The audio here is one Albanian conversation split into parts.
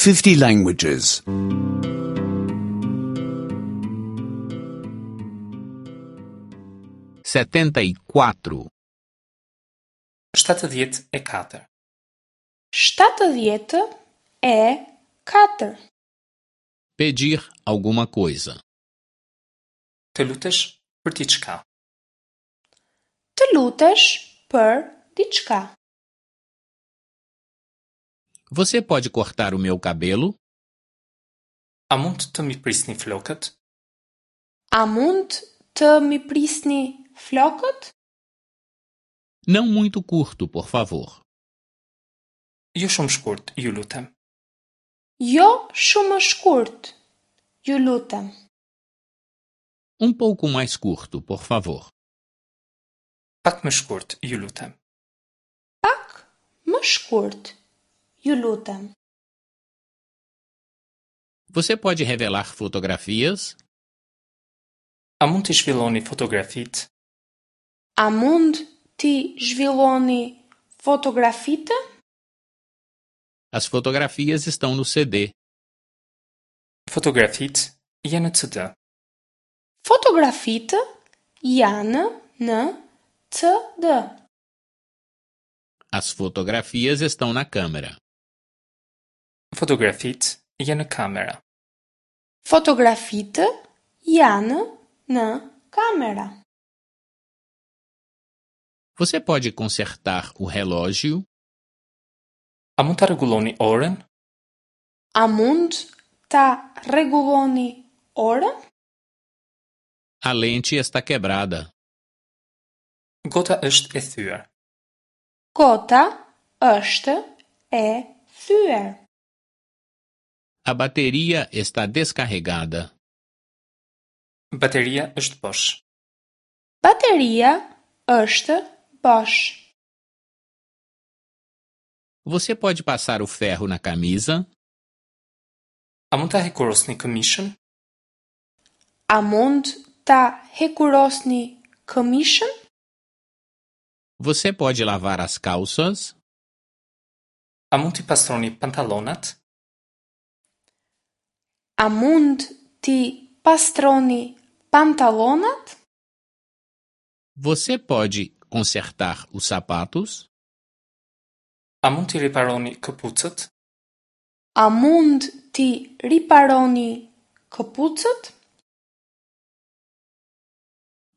50 languages. 74. 74. 74. Pedir alguma coisa. Të lutesh për diçka. Të lutesh për diçka. Você pode cortar o meu cabelo? A mund të m'i prisni flokët? A mund të m'i prisni flokët? Não muito curto, por favor. Jo shumë shkurt, ju lutem. Jo shumë shkurt, ju lutem. Um pouco mais curto, por favor. Pak më shkurt, ju lutem. Pak më shkurt, ju lutem. Você pode revelar fotografias? A mund t'i zhvilloni fotografitë? A mund t'i zhvilloni fotografitë? As fotografias estão no CD. Fotografitë janë në CD. Fotografitë janë në CD. As fotografias estão na câmera. Fotografitë janë në kamera. Fotografitë janë në kamera. Você pode consertar o relógio? A mund ta rregulloni orën? A mund ta rregulloni orën? A lente está quebrada. Gota është e thyer. Gota është e thyer. A bateria está descarregada. Bateria është bosh. Bateria është bosh. Você pode passar o ferro na camisa? A mund ta hekurosni këmishën? A mund ta hekurosni këmishën? Você pode lavar as calças? A mund t'i pastroni pantallonat? A mund t'i pastroni pantallonat? Você pode consertar os sapatos? A mund t'i riparoni këpucët? A mund t'i riparoni këpucët?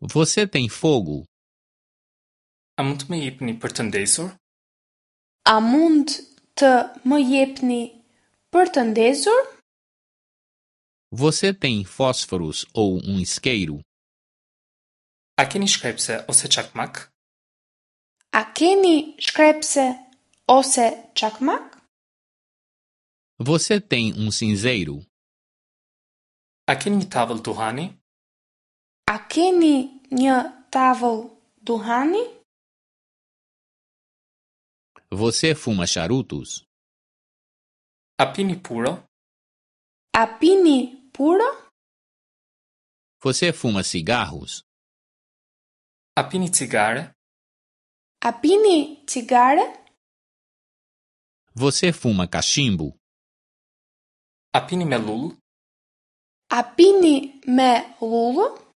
Você tem fogo? A mund të më jepni për të ndezur? A mund të më jepni për të ndezur? Você tem fósforos ou um isqueiro? A keni shkrepse ose çakmak? A keni shkrepse ose çakmak? Você tem um cinzeiro? A keni një tavël duhani? A keni një tavël duhani? Você fuma charutos? A pini puro? A pini puro? Você fuma cigarros? A pini cigare? A pini cigare? Você fuma cachimbo? A pini me llullë? A pini me llullë?